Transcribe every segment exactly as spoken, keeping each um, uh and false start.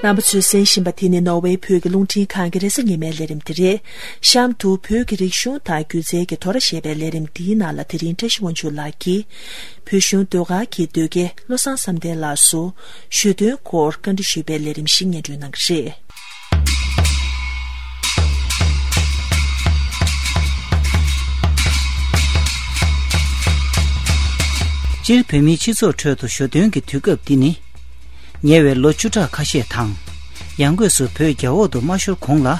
རྣམ་པ་ཚོས་གསན་བཞིན་པ་དེ་ནི་ནོར་ཝེ་བོད་ཀྱི་རླུང་འཕྲིན་ཁང་གི་རེས་གཟའ་ཉི་མའི་ལས་རིམ་དེ་རེད། གཤམ་དུ་བོད་ཀྱི་རིག་གཞུང་དང་སྒྱུ་རྩལ་གྱི་དོ་ར་ཞེས་པའི་ལས་རིམ་འདིའི་ནང་ལ་དེ་རིང་བཀྲ་ཤིས་དབང་ཕྱུག་ལགས་ཀྱིས་བོད་གཞུང་ཟློས་གར་གྱི་ཟློས་དགེ་བློ་བཟང་བསམ་གཏན་ལགས་སུ་ཞོ་སྟོན་སྐོར་བཀའ་འདྲི་ཞུས་པའི་ལས་རིམ་ཞིག་སྙན་སྒྲོན་གནང་གི་རེད། སྤྱིར་བོད་མིའི་སྤྱི་ཚོགས་ཁྲོད་དུ་ཞོ་སྟོན་གྱི་དུས་སྐབས་འདི་ནི། ཉེ་བའི་ལོ་བཅུ་ཕྲག་ཁ་ཤས་དང་། ཡང་སྒོས་སུ་བོད་རྒྱ་འོག་ཏུ་མ་ཤོར་གོང་ལ།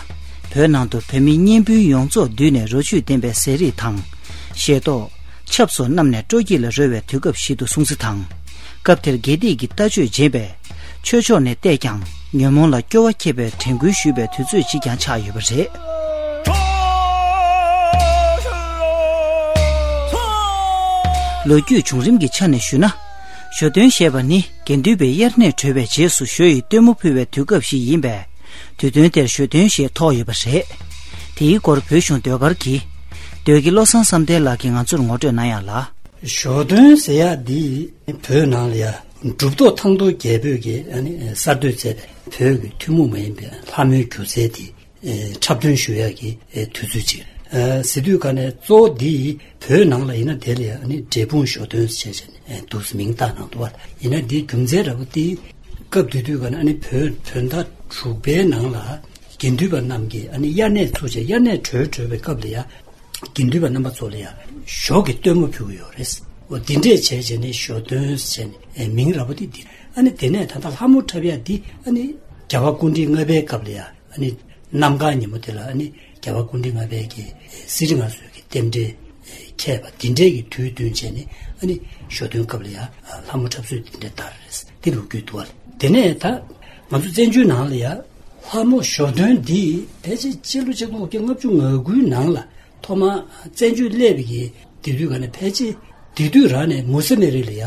བོད་ནང་དུ་བོད་མི་གཉེན་སྤུན་ཡོངས་རྫོགས་འདུས་ནས་རོ་བཅུད་ལྡན་པའི་ཟས་རིགས་དང་། ཞལ་ཏོག་ཆབ་སོགས་བསྣམས་ནས་སྤྲོ་སྐྱིད་ལ་རོལ་བའི་དུས་སྐབས་ཤིག་ཏུ་སོང་ཚུལ་དང་། སྐབས་དེར་དགེ་སྡིག་གི་ལྟ་སྤྱོད་རྗེན་པས་ཆོས་ཕྱོགས་ནས་བལྟས་ཀྱང་ཉོན་མོངས་ལ་སྐྱོ་བ་ཁྱེར་བའི་དྲན་སྐུལ་ཞུས་པའི་དུས་ཚོད་ཅིག་ཀྱང་ཆགས་ཡོད་པ་རེད། ལོ་རྒྱུས་བྱུང་རིམ་གྱི་ཆ་ནས་ཞུས་ན། ཞོ་སྟོན་ཞེས་པ་ནི་དགེ་འདུན་པའི་དབྱར་གནས་གྲོལ་བའི་རྗེས་སུ་ཞོ་ཡི་སྟོན་མོ་ཕུལ་བའི་དུས་སྐབས་ཤིག་ཡིན་པས། དུས་སྟོན་དེར་ཞོ་སྟོན་ཞེས་ཐོགས་ཡོད་པ་རེད། དེའི་སྐོར་བོད་གཞུང་ཟློས་གར་གྱི་ཟློས་དགེ་བློ་བཟང་བསམ་གཏན་ལགས་ཀྱིས་ང་ཚོར་ངོ་སྤྲོད་གནང་ཡག་ལ། ཞོ་སྟོན་ཟེར་ཡག་འདི་བོད་ནང་ལ་ཡ་གྲུབ་ཐོབ་ཐང་སྟོང་རྒྱལ་པོས་ཀྱིས་ཨ་ནི་གསར་གཏོད་མཛད་པའི་བོད་ཀྱི་ཐུན་མོང་མ་ཡིན་པའི་ལྷ་མོའི་སྒྱུ་རྩལ་དེ་འཁྲབ་སྟོན་ཞུ་ཡག་གི་དུས་ཚོད་ཅིག་རེད། ཟེར་དུས་ག་ནས་གཙོ་བོ་འདི་བོད་ནང་ལ་ཡིན་ན་དེ་ལ་ཡ་ཨ་ནི་འབྲས་སྤུངས་ཞོ་སྟོན་ཟེར་བྱས་ནས་འདུག་སེ་མིང་བཏགས་གནང་འདུག་བ། ཡིན་ན་འདིའི་རྒྱུ་མཚན་འདྲ་པོ་དེ་སྐབས་དེ་དུས་ག་ནས་ཨ་ནི་བོད་བོད་ཟླ་དྲུག་པའི་ནང་ལ་དགེ་འདུན་པ་རྣམས་ཀྱིས་ཨ་ནི་དབྱར་གནས་ཚུགས་བྱས་དབྱར་གནས་གྲོལ་གྲོལ་བའི་སྐབས་ལ་ཡ། དགེ་འདུན་པ་རྣམ་པ་ཚོ་ལ་ཡང་ཞོ་གི་སྟོན་མོ་ཕུལ་གྱི་ཡོད་རེད། འོ་འདི་འདྲས་བྱས་བྱས་ནས་ཞོ་སྟོན་བྱས་ནས་མིང་ར་བོ་དེ་འདི། ཨ་ནི་དེ་ནས་ད་ལྟ་ལྷ་མོ་འཁྲབ་ཡ་འདི་ཨ་ནི་རྒྱལ་བ་སྐུ་ཕྲེང་ལྔ་པའི་སྐབས་ལ་ཡང་ཨ་ནི་གནམ་གང་ཉིན་མོ་དེ་ལ་ཨ་ནི་རྒྱལ་བ་སྐུ་ཕྲེང་ལྔ་པའི་གི་གསེར་ཁྲི་མངའ་གསོལ་གྱི་རྟེན་འབྲེལ་འཁེལ་བ་འདི་འདྲས་ཀྱི་དུས་སྟོན་བྱས་ནས་ཨ་ནི་ཞོ་སྟོན་སྐབས་ལ་ཡང་ལྷ་མོ་འཁྲབ་སྲོལ་འདི་འདྲས་དར་རེད། འདི་ལོ་རྒྱུས་འདུག་བ། དེ་ནས་ད་ང་ཚོ་བཙན་བྱོལ་ནང་ལ་ཡང་ལྷ་མོ་ཞོ་སྟོན་འདི་ཕལ་ཆེར་སྤྱི་ལོ་ཆིག་སྟོང་དགུ་བརྒྱ་ལྔ་བཅུ་ང་དགུའི་ནང་ལ། ཐོག་མར་བཙན་བྱོལ་སླེབས་པའི་གི་དེ་དུས་ག་ནས་ཕལ་ཆེར་དེ་དུས་རང་ནས་མུ་སི་མེ་རི་ལ་ཡ་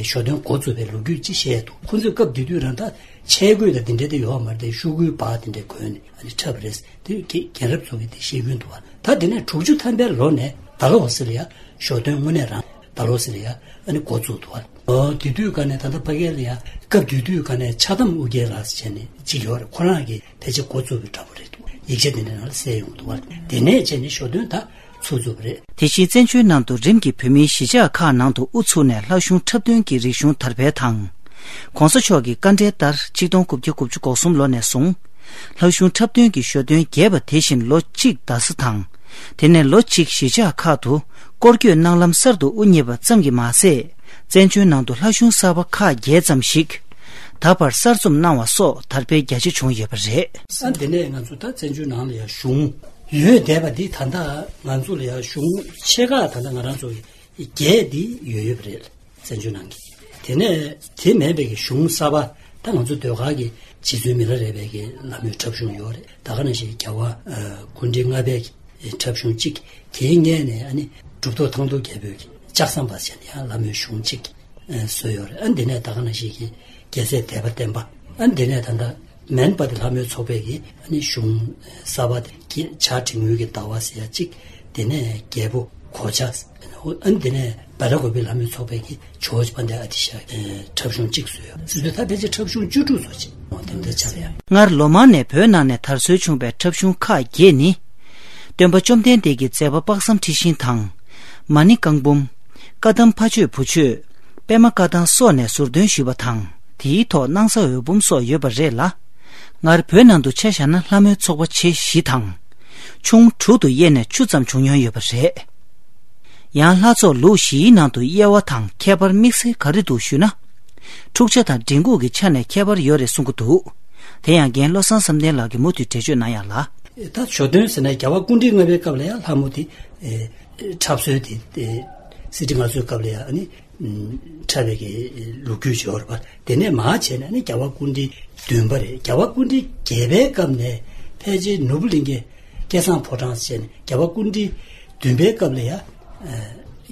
ཞོ་སྟོན་འགོ་བཙུགས་པའི་ལོ་རྒྱུས་ཅིག་བཤད་འདུག་ཁོ་ཚོས་སྐབས་དེ་དུས་རང་ད་ཆས་གོས་དང་དེ་འདྲ་དེ་ཡོད་མ་རེད་དེ་ཤོག་གུའི་པར་དེ་འདྲ་གོན་ནས་ཨ་ནི་འཁྲབ་རེད་དེ་རྒན་རབས་ཚོ་གིས་དེ་བཤད་ཀྱིན་འདུག་བ། ད་དེ་ནས་དྲུག་ཅུ་ཐམ་པའི་ལོ་ནས་ད་ལོ་ཟེར་ལ་ཡ་ཞོ་སྟོན་དངོས་གནས་རང་ད་ལོ་ཟེར་ལ་ཡ་ཨ་ནི་འགོ་བཙུགས་འདུག་བ། ཨོ་དེ་དུས་ག་ནས་ད་ལྟ་ཕ་གི་ལ་ཡ་སྐབས་དེ་དུས་ག་ནས་ཕྱག་དམ་ཨོ་རྒྱན་ལགས་ཟེར་བྱས་ནས་ཅིག་ཡོད་རེད། ཁོ་རང་གིས་ཕལ་ཆེར་འགོ་བཙུགས་པའི་འདྲ་པོ་རེད་འདུག་ཡིག་ཆ་དེ་འདྲ་ནང་ལ་གསལ་ཡོང་གི་འདུག་བ། དེ་ནས་བྱས་ནས་ཞོ་སྟོན་ད་ཚུགས་ཚུགས་པ་རེད། དེ་བཞིན་བཙན་བྱོལ་ནང་དུ་རིམ་གྱིས་བོད་མིའི་གཞིས་ཆགས་ཁག་ནང་དུ་དབུ་ཚུགས་ནས་ལྷ་གཞུང་འཁྲབ་སྟོན་གྱི་རིག་གཞུང་དར་འཕེལ་དང་། ༸གོང་ས་མཆོག་གི་བཀའ་འབྲེལ་ལྟར་ཆིག་སྟོང་དགུ་བརྒྱ་དགུ་བཅུ་གོ་གསུམ་ལོ་ནས་བཟུང་། ལྷ་གཞུང་འཁྲབ་སྟོན་གྱི་ཞོ་སྟོན་རྒྱས་པ་དེ་བཞིན་ལོ་གཅིག་ཟླ་ས་དང་། དེ་ནས་ལོ་གཅིག་གཞིས་ཆགས་ཁག་ཏུ་སྐོར་སྐྱོད་གནང་ལམ་གསར་དུ་དབུ་བརྙེས་པ་ཙམ་གྱིས་མ་ཟད། བཙན་བྱོལ་ནང་དུ་ལྷ་གཞུང་གསར་པ་ཁག་བརྒྱད་ཙམ་ཞིག་ད་བར་གསར་རྩོམ་གནང་བ་སོགས་དར་སྤེལ་རྒྱ་ཆེ་བྱུང་ཡོད་པ་རེད། ཨ་འདི་ནས་ང་ཚོ་ད་བཙན་བྱོལ་ནང་ལ་ཡང་གཞུང་ཡོད་བསྡད་པ་འདི་ད་ལྟ་ང་ཚོ་ལ་ཡང་གཞུང་ཆེ་ཁག་ད་ལྟ་ང་རང་ཚོ་བརྒྱད་འདི་ཡོད་ཡོད་པ་རེད། བཙན་བྱོལ་ནང་གི། དེ་ནས་དེ་མེད་པའི་གི་གཞུང་གསར་པ་ད་ང་ཚོ་ཟློས་གར་གྱི་རྗེ་བཙུན་མི་ལ་རས་པའི་གི་ལྷ་མོའི་འཁྲབ་གཞུང་ཡོད་རེད། ད་ག་ནང་བཞིན་རྒྱལ་བ་ཨ་སྐུ་ཕྲེང་ལྔ་པའི་གི་འཁྲབ་གཞུང་གཅིག་དེའི་སྔས་ནས་ཨ་ནི་གྲུབ་ཐོབ་ཐང་སྟོང་རྒྱལ་པོའི་གི་ལྕགས་ཟམ་པ་ཟེར་ནས་ཡང་ལྷ་མོའི་གཞུང་གཅིག་ཨ་བཟོས་ཡོད་རེད། ཨ་འདི་ནས་ད་ག་ནང་བཞིན་གི་རྒྱལ་སྲས་དད་པ་བརྟན་པ། ཨ་འདི་ནས་ད་ལྟ་མན་པ་དེ་ལྷ་མོའི་ཚོགས་པའི་གི་ཨ་ནི་གཞུང་གསར་པ་དེ་གི་བྱ་བྲིས་མོལ་གྱི་ཟླ་བ་ཟེར་ཡ་གཅིག་དེ་ནས་རྒྱལ་པོ་གོ་ཆ། ཨ་འདི་ནས་བ་ལ་གོ་པའི་ལྷ་མོའི་ཚོགས་པའི་གི་ཇོ་བོ་རྗེ་དཔལ་ལྡན་ཨ་ཏི་ཤ་འཁྲབ་གཞུང་གཅིག་བཟོས་ཡོད། སྲིད་པའི་ཐབས་ཕལ་ཆེར་འཁྲབ་གཞུང་བཅུ་དྲུག་ཙམ་ཅིག་འོང་དེ་འདྲ་ཆགས་ཡ། སྔར་ལོ་མང་ནས་བོད་ནང་ནས་དར་སྲོལ་བྱུང་བའི་འཁྲབ་གཞུང་ཁག་བརྒྱད་ནི། སྟོན་པ་བཅོམ་ལྡན་འདས་ཀྱི་མཛད་པ་དཔག་བསམ་འཁྲི་ཤིང་དང་། མ་ཎི་བཀའ་འབུམ། བཀའ་གདམས་ཕ་ཆོས་བུ་ཆོས། པད་མ་བཀའ་ཐང་སོགས་ནས་ཟུར་འདོན་ཞུས་པ་དང་། དེའི་ཐོག་སྣང་ས་འོད་འབུམ་སོགས་ཡོད་པ་རེད་ལ། སྔར་བོད་ནང་དུ་ཆ་བཞག་ན་ལྷ་མོའི་ཚོགས་པ་ཆེ་བཞི་དང་། ཆུང་དྲུག་ཏུ་དབྱེ་ནས་བཅུ་ཙམ་བྱུང་མྱོང་ཡོད་པ་རེད། ཡང་ལྷ་ཚོགས་ལུགས་བཞིའི་ནང་དུ་དབྱེ་བ་དང་ཁྱད་པར་དམིགས་བསལ་ག་རེ་འདུག་ཞུས་ན། འཁྲུག་ཆ་དང་མགྲིན་ཁུག་གི་ཆ་ནས་ཁྱད་པར་ཡོད་རེད་གསུང་གི་འདུག་དེ་ཡང་རྒན་བློ་བཟང་བསམ་གཏན་ལགས་ཀྱིས་མུ་མཐུད་འགྲེལ་བརྗོད་གནང་ཡག་ལ། ད་ཞོ་སྟོན་ཟེར་ན་རྒྱལ་བ་སྐུ་ཕྲེང་ལྔ་པའི་སྐབས་ལ་ཡང་ལྷ་མོ་དེ་འཁྲབ་སྲོལ་དེ་གསེར་ཁྲི་མངའ་གསོལ་སྐབས་ལ་ཡང་ཨ་ནི་འཁྲབ་པའི་གི་ལོ་རྒྱུས་ཡོད་རེད་པ། དེ་ནས་མར་བྱས་ནས་ཨ་ནི་རྒྱལ་བ་སྐུ་ཕྲེང་བདུན་པ་རེད། རྒྱལ་བ་སྐུ་ཕྲེང་བརྒྱད་པའི་སྐབས་ནས་ཕལ་ཆེར་ནོར་བུ་གླིང་གའི་སྐལ་བཟང་ཕོ་བྲང་ཟེར་ནས་རྒྱལ་བ་སྐུ་ཕྲེང་བདུན་པའི་སྐབས་ལ་ཡ།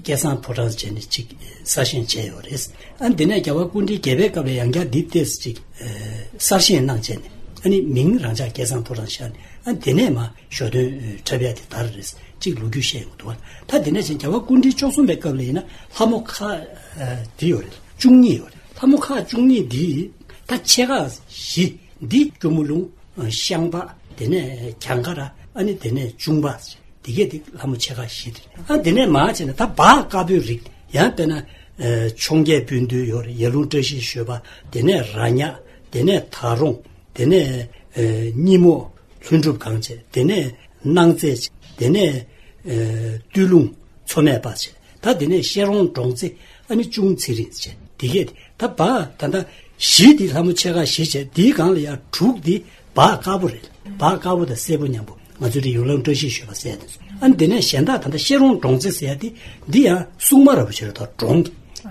སྐལ་བཟང་ཕོ་བྲང་ཟེར་ནས་ཅིག་གསར་བཞེངས་བྱས་ཡོད་རེད། ཨ་འདི་ནས་རྒྱལ་བ་སྐུ་ཕྲེང་བརྒྱད་པའི་སྐབས་ལ་ཡང་བསྐྱར་འདི་ཏོག་ཙམ་ཅིག་གསར་བཞེངས་གནང་བྱས་ནས་ཨ་ནི་མིང་རང་འཇགས་སྐལ་བཟང་ཕོ་བྲང་བཞག་ནས་ཨ་འདི་ནས་མ་ཞོ་སྟོན་འཁྲབ་ཡ་དེ་དར་རེད་ཅིག་ལོ་རྒྱུས་བཤད་ཡོང་འདུག་བ། ད་འདི་ནས་ཅིག་རྒྱལ་བ་སྐུ་ཕྲེང་བཅུ་གསུམ་པའི་སྐབས་ལ་ཡིན་ན་ལྷ་མོ་ཁག་འདི་ཡོད་རེད། བཅུ་གཉིས་ཡོད་རེད། ལྷ་མོ་ཁག་བཅུ་གཉིས་འདི་ད་ཆེ་ཁག་བཞི། འདི་སྐྱོར་མོ་ལུང་། ཤངས་པ། དེ་ནས་གྱང་ཁ་ར། ཨ་ནི་དེ་ནས་གཅུང་པ། དེ་གས་དེ་ལྷ་མོ་ཆེ་ཁག་བཞི་དེ་རེད། ཨ་དེ་ནས་མར་བྱས་ན་ད་བ་དཀར་པོའི་རིགས། ཡང་དཔེར་ན། ཨ་འཕྱོངས་རྒྱས་སྤུན་བདུན་ཡོད་རེད། ཡར་ཀླུང་བཀྲ་ཤིས་བཞད་པ། དེ་ནས་ར་ཉག་དེ་ནས་ད་རོང་། དེ་ནས་ཨ་སྙི་མོ། ལྷུན་གྲུབ་གངས་ཅན། དེ་ནས་སྣང་བརྩེ། དེ་ནས་ཨ་སྟོད་ལུང་མཚོ་སྨད་པ་བྱས། ད་དེ་ནས་ཤེ་རོང་འབྲོང་རྩེ། ཨ་ནི་ཅུང་ཚེ་རིང་བྱས། དེ་གས་ད་བ་ད་ལྟ་བཞི་དེ་ལྷ་མོ་ཆེ་ཁག་བཞི་བྱས། དེའི་སྒང་ལ་ཡང་དྲུག་དེ་བ་དཀར་པོ་རེད། བ་དཀར་པོ་དང་སེར་པོ་མཉམ་པོ། ང་ཚོའི་དེ་ཡར་ཀླུང་བཀྲ་ཤིས་བཞད་པ་ཟེར་ཡ་དེ་ཚོ། ཨ་ནི་དེ་ནས་གཞན་དག་ད་ལྟ་ཤེ་རོང་འབྲོང་རྩེ་ཟེར་ཡ་དེ། འདི་ཡང་སྲུང་མ་ར་བ་བྱས་རེད། ད་འབྲོང་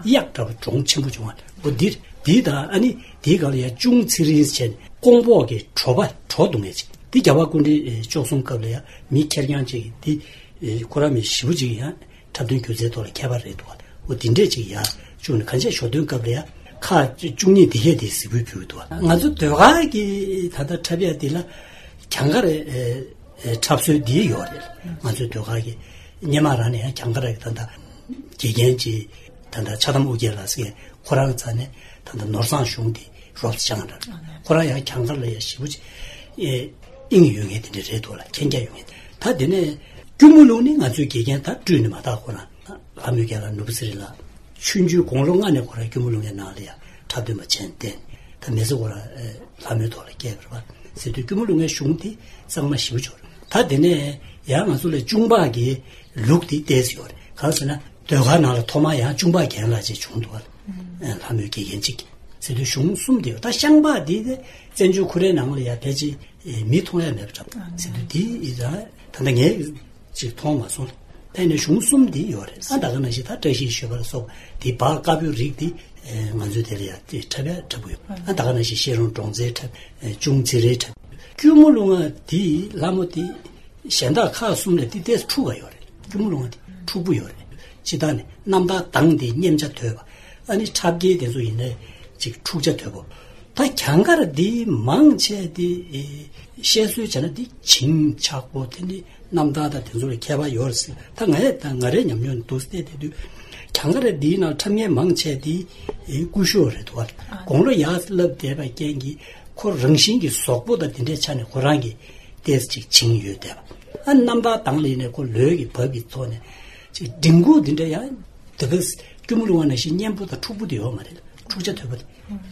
གཡག་འདྲ་བ་འབྲོང་ཆེན་པོ་བྱུང་བ། འོ་འདིར་འདི་དང་ཨ་ནི་དེའི་སྒང་ལ་ཡང་ཅུང་ཚེ་རིང་བྱས་ནས་ཀོང་པོ་གི་གྲོ་པ་གྲོ་བརྡུང་ཡས་ཅིག་འདི་རྒྱལ་བ་སྐུ་ཕྲེང་བཅུ་གསུམ་སྐབས་ལ་ཡང་མི་ཁེར་རྐྱང་ཅིག་འདི་ཁོ་རང་མི་ཞེ་པོ་ཅིག་ཡང་འཁྲབ་སྟོན་སྒྱུ་རྩལ་ཐོག་ལ་མཁས་པ་རེད་འདུག་འོ་དེ་འདྲས་ཅིག་ཡང་བཅུག་ནས་གང་ཅི་ཞོ་སྟོན་སྐབས་ལ་ཡང་ཁག་བཅུ་གཉིས་འདི་གས་དེ་གཟིགས་འབུལ་ཕུལ་འདུག་ང་ཚོ་ཟློས་གར་གྱི་ད་ལྟ་འཁྲབ་ཡ་འདི་ལ་གྱང་ཁ་ར། འཁྲབ་སྲོལ་འདི་ཡོད་རེད། ང་ཚོའི་ཟློས་གར་གྱི་སྔོན་མ་རང་ནས་ཡང་གྱང་ཁ་ར་གི་ད་ལྟ་དགེ་རྒན་གྱི་ད་ལྟ་ཕྱག་དམ་ཨོ་རྒྱན་ལགས་ཟེར་མཁན་ཁོ་རང་རྩ་ནས་ད་ལྟ་ནོར་བཟང་གཞུང་དེ་རོབ་ཙམ་སྦྱངས་འདྲ། ཁོ་རང་ཡང་གྱང་ཁ་ལ་ཡང་ཞེ་པོ་ཅིག་ཨེ་དབྱིངས་ཡོད་མཁན་དེ་འདྲ་རེད་འདུག་ལ། མཁྱེན་རྒྱ་ཡོད་མཁན། ད་དེ་ནས་སྐྱོར་མོ་ལུང་ནི་ང་ཚོའི་དགེ་རྒན་ད་སྤྲུལ་ནས་མ་དག་ཁོ་རང་ལྷ་མོའི་རྒན་ལགས་ནོར་བུ་ཚེ་རིང་ལགས། ཆུང་ཆུང་དགུང་ལོ་ལྔ་ནས་ཁོ་རང་སྐྱོར་མོ་ལུང་གི་ནང་ལ་ཡང་འཁྲབ་སྟོན་པ་བྱས་ནས་བསྡད། ད་མི་ཚེ་ཁོ་རང་ལྷ་མོའི་ཐོག་ལ་བསྐྱལ་བ་རེད་པ། ཟེར་དུས་སྐྱོར་མོ་ལུང་གི་གཞུང་དེ་གཙང་མ་ཞེ་པོ་ཅིག་ཡོད་རེད། ད་དེ་ནས་ཡང་ང་ཚོ་ལ་གཅུང་པ་གི་ལུགས་དེ་ཏོག་ཙམ་ཡོད་རེད། གང་ཟེར་ན་ཟློས་གར་ནང་ལ་ཐོག་མར་ཡང་གཅུང་པ་རྒན་ལགས་ཅིག་བྱུང་འདུག་བ། ལྷ་མོའི་དགེ་རྒན་གཅིག་ཟེར་དུས་གཞུང་གསུམ་དེ་ཡོད། ད་ཤངས་པ་དེ་དེ་བཙན་བྱོལ་ཁོ་རའི་ནང་ལ་ཡང་ཕལ་ཆེར་མི་མཐོང་ཡ་མེད་པ་འདྲ་ཟེར་དུས། དེ་ད་ད་ལྟ་ངས་ཅིག་མཐོང་མ་སོང་། ཕན་ནས་གཞུང་གསུམ་འདི་ཡོད་རེད། ཨ་ད་ག་ནང་བཞིན་ད་བཀྲ་ཤིས་བཞད་པ་ལ་སོགས་འདི་བ་དཀར་པོའི་རིགས་འདི་ང་ཚོའི་དེ་ལ་ཡང་དེ་འཁྲབ་ཡ་འཁྲབ་གི་ཡོད། ཨ་ད་ག་ནང་བཞིན་ཤེ་རོང་འབྲོང་རྩེ་འཁྲབ། ཅུང་ཚེ་རིང་འཁྲབ། སྐྱོར་མོ་ལུང་བ་འདི་ལྷ་མོ་འདི་གཞན་དག་ཁག་གསུམ་ལས་འདི་ཏོག་ཙམ་འཁྲུག་ག་ཡོད་རེད། སྐྱོར་མོ་ལུང་བ་འདི་འཁྲུག་པོ་ཡོད་རེད། སྤྱིར་བཏང་ནས་རྣམ་ཐར་གདངས་འདི་སྙེམས་ཆ་དོད་པ། ཨ་ནི་འཁྲབ་སྐྱེལ་དེ་ཚོ་ཡིན་ནའི་ཅིག་འཁྲུག་ཆ་དོད་པོ། ད་གྱང་ཁ་ར་འདི་མང་ཆེ་འདི་བཤད་སྲོལ་བྱས་ན་འདི་བྱིན་ཆགས་པོ། དེ་ནི་རྣམ་ཐར་དང་དེ་ཚོ་ལ་མཁས་པ་ཡོད་རེད་ཟེར། ད་ང་ཡ་ད་ང་རའི་ཉམས་མྱོང་འདུག་བལྟས་བསྡད་དུས་གྱང་ཁ་ར་འདིའི་ནང་འཁྲབ་མཁན་མང་ཆེ་འདི་སྐུ་ཞབས་རེད་འདུག་བ། དགུང་ལོ་ཡར་སླེབས་བསྡད་པའི་རྐྱེན་གྱིས་ཁོ་རང་བཞིན་གྱི་གཟུགས་པོ་དང་དེ་འདྲའི་ཆ་ནས་ཁོ་རང་གི་ཏོག་ཙམ་ཅིག་བྱིན་ཡོད་བསྡད་པ། ཨ་རྣམ་ཐར་གདངས་ལ་ཡིན་ནའི་ཁོ་ལུས་ཀྱི་བབ་ཀྱི་ཐོག་ནས་ཅིག་མགྲིན་ཁུག་འདི་འདྲ་ཡང་དེ་ག་སྐྱོར་མོ་ལུང་བ་ནང་བཞིན་སྙན་པོ་དང་འཁྲུག་པོ་དེ་ཡོད་མ་རེད། འཁྲུག་ཆ་དོད་པོ་དེ།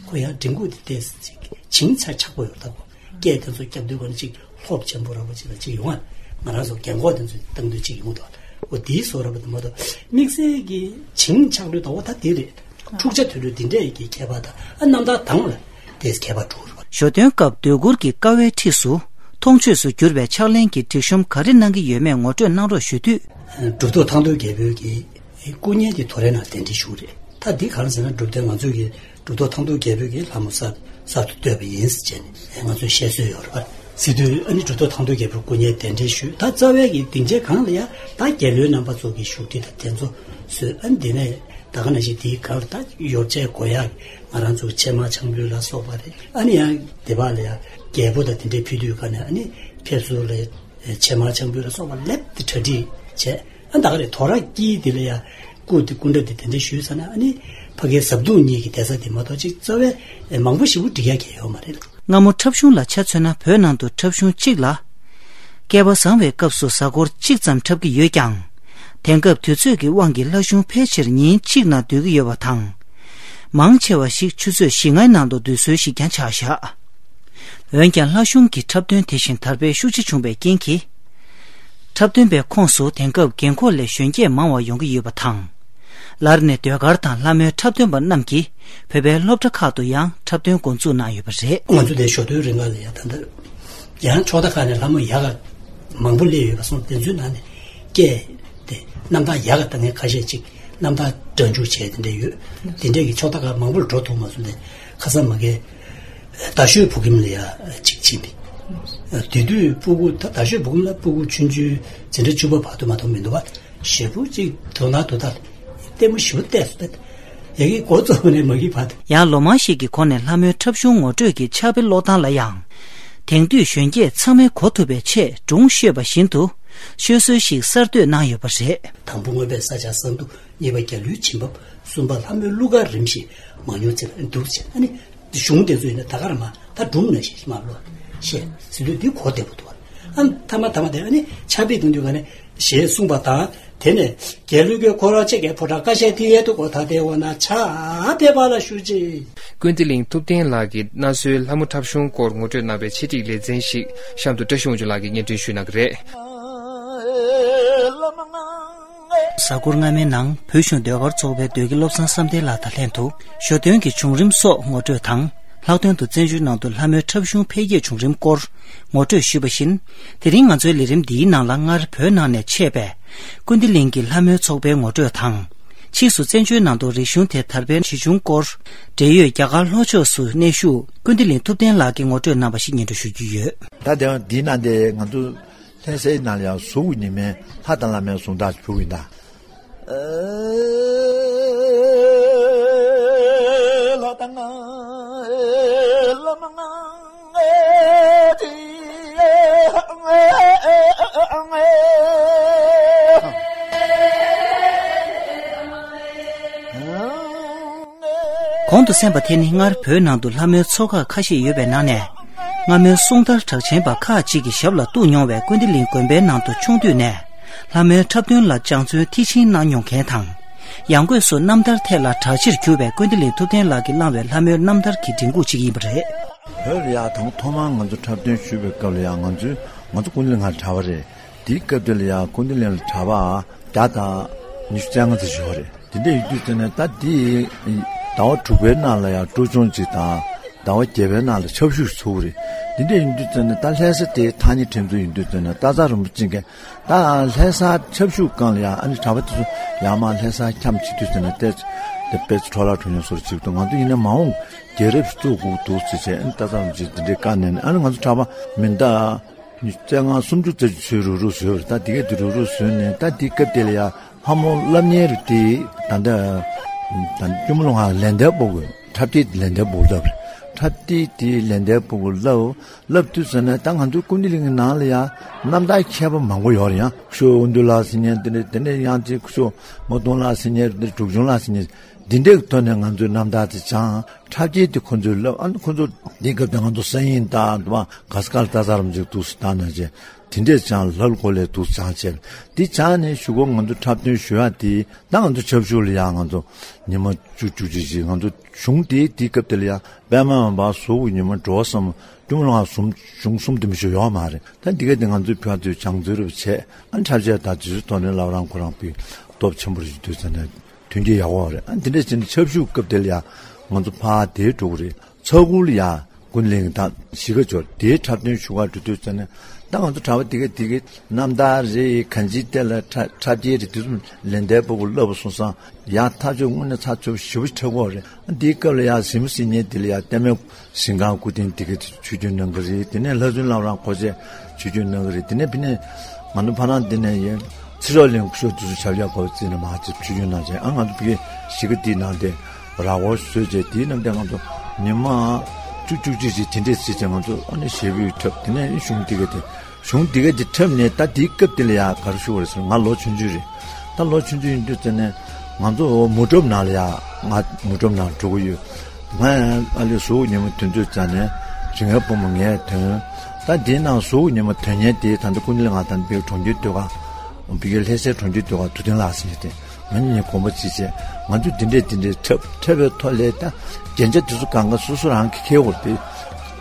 ཁོ་ཡང་མགྲིན་ཁུག་དེ་ཏོག་ཙམ་ཅིག་བྱིན་ཆ་ཆགས་པོ་ཡོད་ད་ཁོ། སྐད་དེ་ཚོ་རྒྱབ་དུས་ག་ནས་ཅིག་ལྷོབ་ཆེན་པོ་ར་བ་ཅིག་ལ་ཅིག་ཡོང་བ། ང་རང་ཚོ་རྒན་གོག་དེ་ཚོ་བཏང་དུས་ཅིག་ཡོང་འདུག་འོ་དེའི་བཟོ་འདྲ་པོ་དེ་མ་གཏོགས་དམིགས་བསལ་གྱི་བྱིན་ཆགས་ལུས་ད་འོ་ད་དེ་རེད། འཁྲུག་ཆ་དོད་ལུས་དེ་འདྲས་ཀྱི་ཁྱད་པར་དང་། ཨ་རྣམ་ཐར་གདངས་ལ་ཏོག་ཙམ་ཁྱད་པར་འགྲོ་རེད་བ། ཞོ་སྟོན་སྐབས་ཟློས་གུར་གྱི་ཀ་བའི་འཁྲིས་སུ་མཐོང་ཆོས་སུ་གྱུར་པའི་ཕྱག་ལེན་གྱི་སྒྲིག་གཤོམ་ག་རེ་གནང་གི་ཡོད་མེད་ངོ་སྤྲོད་གནང་རོགས་ཞུ་དུས། གྲུབ་ཐོབ་ཐང་སྟོང་རྒྱལ་པོའི་གི་སྐུ་བརྙན་དེ་དོ་རེ་ནང་གདན་འདྲེན་ཞུས་རེད། ད་འདི་གང་ཟེར་ན་གྲུབ་དོན་ང་ཚོས་ཀྱི་གྲུབ་ཐོབ་ཐང་སྟོང་རྒྱལ་པོའི་གི་ལྷ་མོ་གསར་གསར་དུ་བཏོད་པ་ཡིན་ཟེར་བྱས་ནས་ང་ཚོས་བཤད་སྲོལ་ཡོད་རེད་པ། ཟེར་དུས་ཨ་ནི་གྲུབ་ཐོབ་ཐང་སྟོང་རྒྱལ་པོའི་སྐུ་བརྙན་གདན་འདྲེན་ཞུས། ད་རྩ་བའི་གི་སྡིངས་ཆའི་སྒང་ལ་ཡ་ད་རྒྱལ་བློན་རྣམ་པ་ཚོ་གི་བཞུགས་ཁྲི་དང་དེ་ཚོ་བཟོས། ཨ་ནི་དེ་ནས་ད་ག་ནང་བཞིན་དེའི་སྒང་ལ་ད་ཡོ་བྱད་དགོས་ཡག་ང་རང་ཚོ་ཕྱེ་མར་ཆང་ཕུད་ལ་སོགས་པ་རེད། ཨ་ནི་ཡང་སྡེ་པ་ལ་ཡ་རྒྱལ་པོ་དང་དེ་འདྲའི་ཕུལ་དུས་ག་ནས་ཨ་ནི་ཕེབས་བསུ་ལ་ཕྱེ་མར་ཆང་ཕུད་ལ་སོགས་པ་ལེབ་དེ་གྲ་སྒྲིག་བྱས། ཨ་ད་ག་རེ་དོ་ར་དཀྱིལ་དེ་ལ་ཡ་སྐུ་དེ་སྐུ་འདྲ་དེ་དེ་འདྲ་ཞུས་ས་ན་ཨ་ནི་ཕ་གིའི་ཟབ་གདུང་གཉིས་ཀྱི་གདན་ས་དེ་མ་གཏོགས་ཅིག་རྩ་བའི་མང་པོ་ཞེ་པོ་སྒྲིག་ཡ་གང་ཡོད་མ་རེད། སྔ་མོ་འཁྲབ་གཞུང་ལ་ཆ་མཚོན་ན་བོད་ནང་དུ་འཁྲབ་གཞུང་གཅིག་ལ། བསྐལ་པ་བཟང་བའི་སྐབས་སུ་གཟའ་འཁོར་གཅིག་ཙམ་འཁྲབ་ཀྱི་ཡོད་ཀྱང་། དེང་སྐབས་དུས་ཚོད་ཀྱི་དབང་གིས་ལྷ་གཞུང་ཕལ་ཆེར་ཉིན་གཅིག་ནང་སྡོད་ཀྱི་ཡོད་པ་དང་། མང་ཆེ་བ་ཞིག་ཆུ་ཚོད་བཞི་ལྔའི་ནང་དུ་སྡོད་སྲོལ་ཞིག་ཀྱང་ཆགས་བཞག་འོན་ཀྱང་ལྷ་གཞུང་གི་འཁྲབ་སྟོན་དེ་བཞིན་དར་སྤེལ་ཤུགས་ཆེ་བྱུང་བའི་རྐྱེན་གྱིས། འཁྲབ་སྟོན་པའི་ཁོངས་སུ་དེང་སྐབས་རྒན་འཁོགས་ལས་གཞོན་སྐྱེས་མང་བ་ཡོང་གི་ཡོད་པ་དང་། ལར་ནས་ཟློས་གར་དང་ལྷ་མོའི་འཁྲབ་སྟོན་པ་རྣམས་ཀྱིས་བོད་པའི་སློབ་གྲྭ་ཁག་ཏུ་ཡང་འཁྲབ་སྟོན་འགོ་འཛུགས་གནང་ཡོད་པ་རེད། ང་ཚོ་དེ་ཞོ་སྟོན་རིང་ག་ལ་ཡ་ད་ལྟ་ཡང་ཕྱོགས་མཐའ་ཁག་ནས་ལྷ་མོ་ཡག་ག་མང་པོ་སླེབས་ཡོད་པ་སོང་། དེ་ཚོའི་ནང་ནས་སྐད་དེ་རྣམ་ཐར་ཡག་ག་ལྟ་མཁན་ཁ་ཤས་ཅིག་རྣམ་ཐར་སྒྲ་འཇུག་བྱས་དེ་འདྲ་ཡོད། དེ་འདྲས་ཀྱི་ཕྱོགས་མཐའ་ཁག་མང་པོར་འགྲོ་ཐུབ་མ་སོང་། དེ་ཁ་སང་མ་གི་རྡ་ཤོད་བོད་ཁྱིམ་ལ་ཡ་ཅིག་ཕྱིན་པས། དེ་དུས་སྤུ་གུ་ད་རྡ་ཤོད་བོད་ཁྱིམ་ལ་སྤུ་གུ་ཆུང་ཆུང་འཛིན་གྲྭ་བཅུ་པ་བར་དུ་མ་གཏོགས་མི་འདུག་བ། ཞེ་པོ་ཅིག་དོ་སྣང་དོ་ད་ལྟད་མོ་ཞེ་པོ་བལྟས་སོང་། ཡ་གི་འགོ་རྩོམ་ནས་མ་གི་བར་དུ། ཡང་ལོ་མང་ཞིག་གི་གོང་ནས་ལྷ་མོའི་འཁྲབ་གཞུང་ངོ་སྤྲོད་ཀྱི་ཕྱག་དཔེ་ཀློག་སྟངས་ལ་ཡང་། དེང་དུས་གཞོན་སྐྱེས་ཚང་མས་གོ་ཐུབ་པའི་ཆེད་སྒྲུང་ཤོད་པ་བཞིན་དུ་ཤོད་སྲོལ་ཞིག་གསར་གཏོད་གནང་ཡོད་པ་རེད། དང་པོ་མངོན་པའི་ས་བྱ་གསང་ཐུགས། གཉིས་པ་རྒྱལ་བློན་བྱིན་ཕབ། གསུམ་པ་ལྷ་མོའི་གླུ་གར་རིམ་བཞིན་མང་ཉུང་ཚིག་ལ་འདུག་ཅེས། ཨ་ནི་གཞུང་དེ་ཚོ་ཡིན་ན་ད་ག་རང་མ་ ད་སྒྲུང་ནས་ཞེས་མ་ལོ། ཞེས་ཟེར་དུས་འདི་གོ་བདེ་པོ་འདུག་ཨ་ཐ་མ་ཐ་མ་དེ་ཨ་ནི་ཕྱག་དཔེ་གཏོང་དུས་ག་ནས་ཞེས་གསུངས་པ་དང་། དེ་ནས་རྒྱལ་བློན་ཀྱིས་ཁོ་རང་ཆེ་གེ་ཕོ་བྲང་ཀ་ཤའི་ཐིག་ཡལ་དུ་གོ་ད་དེ་འོ་ན་ཕྱག་དཔེ་པ་ལ་ཞུ་ཅིག་ཀུན་བདེ་གླིང་ཐུབ་བསྟན་ལགས་ཀྱིས་གནའ་སྲོལ་ལྷ་མོ་འཁྲབ་གཞུང་སྐོར་ངོ་སྤྲོད་གནང་བའི་ཆེད་སྒྲིག་ལེ་ཚན་ཞིག་གཤམ་དུ་བཀྲ་ཤིས་དབང་ཕྱུག་ལགས་ཀྱིས་སྙན་སྒྲོན་ཞུ་གནང་གི་རེད། གཟའ་འཁོར་སྔ་མའི་ནང་བོད་གཞུང་ཟློས་གར་ཚོགས་པའི་ཟློས་དགེ་བློ་བཟང་བསམ་གཏན་ལགས་དང་ལྷན་དུ་ཞོ་སྟོན་གྱི་བྱུང་རིམ་སོགས་ངོ་སྤྲོད་དང་། ལྷག་དོན་དུ་བཙན་བྱོལ་ནང་དུ་ལྷ་མོའི་འཁྲབ་གཞུང་འཕེལ་རྒྱས་བྱུང་རིམ་སྐོར་ངོ་སྤྲོད་ཞུས་པ་བཞིན། དེ་རིང་ང་ཚོའི་ལས་རིམ་འདིའི་ནང་ལ་སྔར་བོད་ནང་ནས་མཆེད་པའི་ཀུན་བདེ་གླིང་གི་ལྷ་མོའི་ཚོགས་པའི་ངོ་སྤྲོད་དང་། ཕྱིས་སུ་བཙན་བྱོལ་ནང་དུ་རིག་གཞུང་དེ་དར་སྤེལ་བྱེད་བྱུང་སྐོར། འབྲེལ་ཡོད་རྒྱ་གར་ལྷོ་ཕྱོགས་སུ་གནས་བཞུགས་ཀུན་བདེ་གླིང་ཐུབ་བསྟན་ལགས་ཀྱི་ངོ་སྤྲོད་རྣམ་པ་ཞིག་སྙན་སྒྲོན་ཞུ་རྒྱུ་ཡོད། ད་དེ་འདིའི་ནང་དེ་ང་ཚོ་ལྷ་སའི་ནང་ལ་ཡང་གཟུགས་ཀྱི་ཉི་མའི་ལྷ་དང་བླ་མའི་གཟུངས་ཐག་ཕུལ་གྱི་ཡིན་ད། ལྷ་དང་བླ་མ་གོང་དུ་གསན་པ་དེ་ནི་སྔར་བོད་ནང་དུ་ལྷ་མོའི་ཚོགས་ཁག་ཁ་ཤས་ཡོད་པའི་ནང་ནས། སྔ་མོའི་གསུང་དར་གྲགས་ཆེན་པ་ཁག་ཅིག་གི་ཞབས་ལ་གཏུགས་མྱོང་བའི་ཀུན་བདེ་གླིང་དགོན་པའི་ནང་དུ་ཆུང་དུས་ནས་ལྷ་མོའི་འཁྲབ་སྟོན་ལ་སྦྱང་བརྩོན་མཐིལ་ཕྱིན་གནང་མྱོང་མཁན་དང་། ཡང་སྒོས་སུ་རྣམ་ཐར་ཐད་ལ་གྲགས་ཆེར་གྱུར་བའི་ཀུན་བདེ་གླིང་ཐུབ་བསྟན་ལགས་ཀྱིས་བླངས་པའི་ལྷ་མོའི་རྣམ་ཐར་གྱི་མགྲིན་ཁུག་ཅིག་ཡིན་པ་རེད། བོད་ལ་ཡང་དང་ཐོག་མར་ང་ཚོ་འཁྲབ་སྟོན་ཞུས་པའི་སྐབས་ལ་ཡང་ང་ཚོས་ང་ཚོ་ཀུན་བདེ་གླིང་ལ་གྲྭ་པ་རེད། དེའི་སྐབས་དེ་ལ་ཡང་ཀུན་བདེ་གླིང་ལ་གྲྭ་པ་བརྒྱ་དང་ཉི་ཤུ་རྩ་ལྔ་ཙམ་ཞིག་ཡོད་རེད། དེ་འདྲ་ཡིན་དུས་ཙམ་ནས་ད་དེ་ཟླ་བ་དྲུག་པའི་ནང་ལ་ཡང་སྤྲོ་སྦྱོང་ཅིག་དང་ཟླ་བ་བརྒྱད་པའི་ནང་ལ་ཆབ་ཞུགས་ཚུགས་རེད། དེ་འདྲ་ཡིན་དུས་ཙམ་ནས་ད་ལྷ་ས་དེ་ཐག་ཉེ་ཁྲིམས་འཛུགས་ཡིན་དུས་ཙམ་ནས་སྟག་ཚང་རིན་པོ་ཆེ་གིས་ད་ལྷ་ས་ཆབ་ཞུགས་སྒང་ལ་ཡང་ཨ་ནི་གྲྭ་པ་དེ་ཚོ་ཡར་མར་ལྷ་ས་འཁྱམས་བྱེད་དུས་ཙམ་ནས་ཏོག་ཙམ་དེ་དཔེ་ཚོ་འཕྲོ་བརླག་འགྲོ་མྱོང་བཟོ་འདྲ་ཅིག་འདུག་ང་ཚོ་ཡིན་ན་མ་འོངས་རྒྱལ་རབས་བཙུགས་དགོས་འདུག་ཟེར་བྱས་ཨ་ནི་སྟག་ཚང་རིན་པོ་ཆེ་དེ་འདྲའི་བཀའ་གནང་ནས་ཨ་ནི་ང་ཚོ་གྲྭ་པ་མི་འདྲ། རྩ་ལྔ་སུམ་ཅུ་རྩ་བཞི་ཚོས་རུག་རུག་བཟོས་པ་རེད། ད་དེ་གས་དེ་རུག་རུག་བཟོས་ནས་ད་དེའི་སྐབས་དེ་ལ་ཡ་ལྷ་མོ་སློབ་གཉེར་དེ་ད་ལྟ་ད་སྐྱོར་མོ་ལོ་ང་ལན་འདེབས་པོ་གི་འཁྲབ་སྟེགས་ལན་འདེབས་པོ་བསླབ་རེད། འཁྲབ་སྟེགས་དེ་ལན་འདེབས་པོ་གི་བསླབ་བསླབ་དུས་ཟེར་ན་ད་ང་ཚོའི་ཀུན་བདེ་གླིང་གི་ནང་ལ་ཡ་རྣམ་ཐར་མཁས་པ་མང་པོ་ཡོད་རེད། ཡང་ཁུ་ཤོ་དབོན་སྟོན་ལགས་ཟེར་མཁན་དེ་འདྲ་དེ་ནས་ཡང་ཅིག་ཁུ་ཤོ་མོ་གདོང་ལགས་ཟེར་མཁན་དེ་འདྲ་འབྲུག་ཆུང་ལགས་ཟེར་མཁན་འདི་འདྲའི་ཐོག་ནས་ང་ཚོའི་རྣམ་ཐར་དེ་སྦྱངས། འཁྲབ་སྟེགས་དེ་ཁོ་ཚོས་བསླབ། ཨ་ནི་ཁོ་ཚོ་འདིའི་སྐབས་དེ་ང་ཚོ་ས་ཡིན་ད་དུ་མ་ག་ས་ག་ལ་ལྟ་ཚར་རམ་ཅིག་འདུག་སེ་བཏང་ན་བྱས་དེ་འདྲས་ཅང་ལྷ་ལ་གོ་ལས་འདུག་ཅང་བྱས་འདི་ཅང་ནས་གཞུག་གུ་ང་ཚོ་འཁྲབ་སྟོན་ཞུ་ཡག་དེ་ད་ང་ཚོ་ཆབ་ཞུགས་ལ་ཡང་ང་ཚོ་ཉི་མ་བཅུ་བཅུ་གཅིག་ཅིག་ང་ཚོ་གཞུང་དེ་དེའི་སྐབས་དེ་ལ་ཡང་པད་མ་འབར་གཟུགས་ཀྱི་ཉི་མ་འགྲོ་བ་གསུམ་སྐྱོར་མོ་ལོ་ང་གསུམ་གཞུང་གསུམ་དུ་མི་ཞུ་ཡོག་མ་རེད། ད་འདི་ག་དེ་ང་ཚོའི་ཕ་ཚོས་སྦྱང་བརྩོན་རབ་བྱས་ཨ་འཁྲབ་ཆས་དང་དུས་ཚོད་ཐོག་ནས་ལབ་རང་ཁོ་རང་པའི་སྟོབས་ཆེན་པོ་རེད་འདུག་ཟེར་ནས། མཐུན་རྐྱེན་ཡག་པོ་རེད། ཨ་འདི་འདྲ་བྱས་ནས་ཆབ་ཞུགས་སྐབས་དེ་ལ་ཡང་ང་ཚོ་ཕར་དེར་འགྲོ་གི་རེད། ཚ་གུར་ལ་ཡང་ཀུན་གླིང་དང་གཞིས་ཀ་འབྱོར་དེའི་འཁྲབ་སྟོན་ཞུ་གར་འགྲོ་དུས་ཙམ་ནས་ད་ང་ཚོ་གྲྭ་པ་དེ་ག་དེ་གའི་རྣམ་ཐར་རེད། གང་ཅིའི་ཐད་ལ་འཁྲབ་འཁྲབ་སྟེགས་རེད། དེ་ཚོ་ལན་འདེབས་པོ་བསླབ་པ་སོང་ཙང་ཡག་ཐག་ཆོད་དངོས་གནས་ཚགས་ཚུད་ཞེ་པོ་ཅིག་འཁྲབ་ཀྱི་ཡོད་རེད། ཨ་འདིའི་སྐབས་ལ་ཡང་གཟིགས་མོ་གཟིགས་མཁན་དེ་ལ་ཡང་ལྟད་མོའི་གཟིགས་སྒང་སྐུ་རྟེན་དེ་ག་ཆོས་སྐྱོང་གནང་གི་རེད། དེ་ནས་ལྷ་བཙུན་ལམ་རམས་འཁོར་བཅས་ཆོས་སྐྱོང་གནང་གི་རེད། དེ་ནས་ཕ་ནས་ང་ཚོ་ཕ་ནང་འདི་ནས་ཡིན་ཚེ་སྲོག་ལེན་ཤོག་དུས་སུ་ཆབ་ཡག་གོ་བརྩིས་ནས་མ་ཅིག་ཆོས་སྐྱོང་གནང་བྱས་ཨ་ང་ཚོ་ཕ་གི་གཞིས་ཀ་དེའི་ནང་དེ་ར་བོ་བཟོས་བྱས་དེའི་ནང་དེ་ང་ཚོ་ཉི་མ་བཅུ་བཅུ་གཅིག་ཅིག་དེ་འདྲས་བརྩིས་བྱས་ང་ཚོ་ཨ་ནི་ཞེ་པོའི་འཁྲབ། དེ་ནས་གཞུང་དེ་ག་དེ་གཞུང་དེ་ག་དེ་འཁྲབ་ནས་ད་དེའི་སྐབས་དེ་ལ་ཡང་ག་རེ་ཞུ་བ་རེད་ཟེར་ན་ང་ལོ་ཆུང་ཆུང་རེད། ད་ལོ་ཆུང་ཆུང་ཡིན་དུས་ཙམ་ནས་ང་ཚོ་མུ་འགྲོམ་ནང་ལ་ཡང་ང་མུ་འགྲོམ་ནང་འགྲོ་གི་ཡོད། ང་ཡང་ཨ་ལས་གཟུགས་ཉི་མ་དོན་དུས་ཙམ་ནས་ཇི་ངའི་བུ་མོ་ངས་དོན། ད་དེའི་ནང་གཟུགས་ཉི་མ་དོན་མཁན་དེ་ད་ལྟ་ཀུན་གླིང་ང་ད་ལྟའི་གྲོང་ཁྱེར་སྡོད་ག་བི་གའི་ལྷ་སའི་གྲོང་ཁྱེར་སྡོད་ག་ཐུབ་བསྟན་ལགས་ཟེར་ཏེ་ང་གཉིས་གཉིས་དགོངས་པ་གཅིག་བྱས་ང་ཚོས་འདི་འདྲས་འདི་འདྲས་འཁྲབ་འཁྲབ་པའི་ཐོག་ལས་ད་རྒྱན་ཆ་དེ་ཚོ་གང་ག་སོ་སོ་རང་གིས་འཁྱེར་དགོས་རེད།